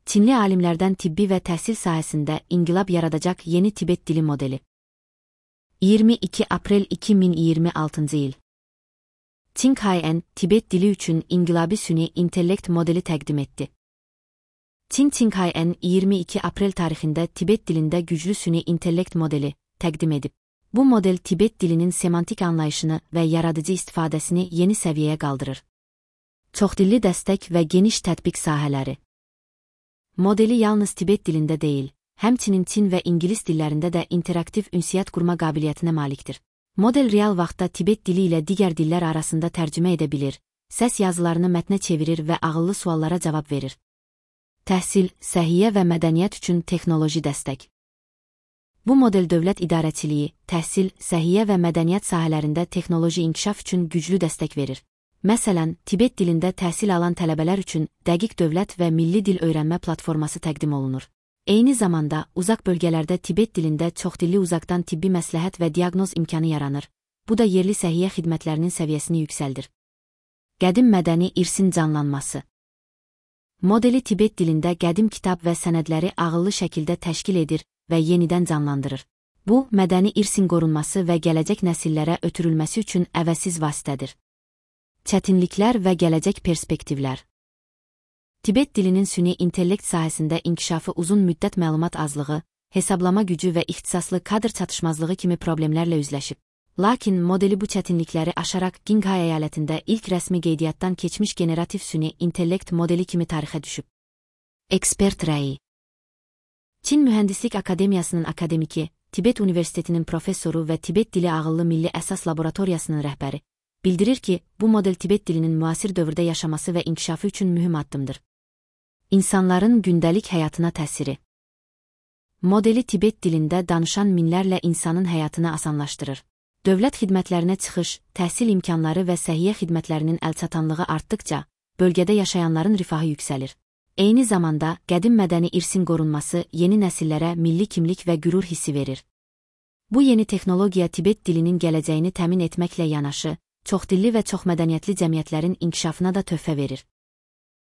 Çinli alimlərdən tibbi və təhsil sahəsində inqilab yaradacaq yeni Tibet dili modeli. 22 aprel 2026 il. Qinghai-en, Tibet dili üçün inqilabi süni intellekt modeli təqdim etdi. Qinghai-en 22 aprel tarixində Tibet dilində güclü süni intellekt modeli təqdim edib. Bu model Tibet dilinin semantik anlayışını və yaradıcı istifadəsini yeni səviyyəyə qaldırır. Çoxdilli dəstək və geniş tətbiq sahələri. Modeli yalnız Tibet dilində deyil, həmçinin Çin və İngilis dillərində də interaktiv ünsiyyət qurma qabiliyyətinə malikdir. Model real vaxtda Tibet dili ilə digər dillər arasında tərcümə edə bilir, səs yazılarını mətnə çevirir və ağıllı suallara cavab verir. Təhsil, səhiyyə və mədəniyyət üçün texnoloji dəstək. Bu model dövlət idarəçiliyi, təhsil, səhiyyə və mədəniyyət sahələrində texnoloji inkişaf üçün güclü dəstək verir. Məsələn, Tibet dilində təhsil alan tələbələr üçün dəqiq dövlət və milli dil öyrənmə platforması təqdim olunur. Eyni zamanda, uzaq bölgələrdə Tibet dilində çoxdilli uzaqdan tibbi məsləhət və diaqnoz imkanı yaranır. Bu da yerli səhiyyə xidmətlərinin səviyyəsini yüksəldir. Qədim mədəni irsin canlanması. Modeli Tibet dilində qədim kitab və sənədləri ağıllı şəkildə təşkil edir və yenidən canlandırır. Bu, mədəni irsin qorunması və gələcək nəsillərə ötürülməsi üçün əvəzsiz vasitədir. Çətinliklər və gələcək perspektivlər. Tibet dilinin süni intellekt sahəsində inkişafı uzun müddət məlumat azlığı, hesablama gücü və ixtisaslı kadr çatışmazlığı kimi problemlərlə üzləşib. Lakin modeli bu çətinlikləri aşaraq Qinghai əyalətində ilk rəsmi qeydiyyatdan keçmiş generativ süni intellekt modeli kimi tarixə düşüb. Ekspert rəyi. Çin Mühəndislik Akademiyasının akademiki, Tibet Universitetinin professoru və Tibet dili ağıllı milli əsas laboratoriyasının rəhbəri bildirir ki, bu model Tibet dilinin müasir dövrdə yaşaması və inkişafı üçün mühüm addımdır. İnsanların gündəlik həyatına təsiri. Modeli Tibet dilində danışan minlərlə insanın həyatını asanlaşdırır. Dövlət xidmətlərinə çıxış, təhsil imkanları və səhiyyə xidmətlərinin əlçatanlığı artdıqca, bölgədə yaşayanların rifahı yüksəlir. Eyni zamanda, qədim mədəni irsin qorunması yeni nəsillərə milli kimlik və qürur hissi verir. Bu yeni texnologiya Tibet dilinin gələcəyini təmin etməklə yanaşı, çoxdilli və çoxmədəniyyətli cəmiyyətlərin inkişafına da töhfə verir.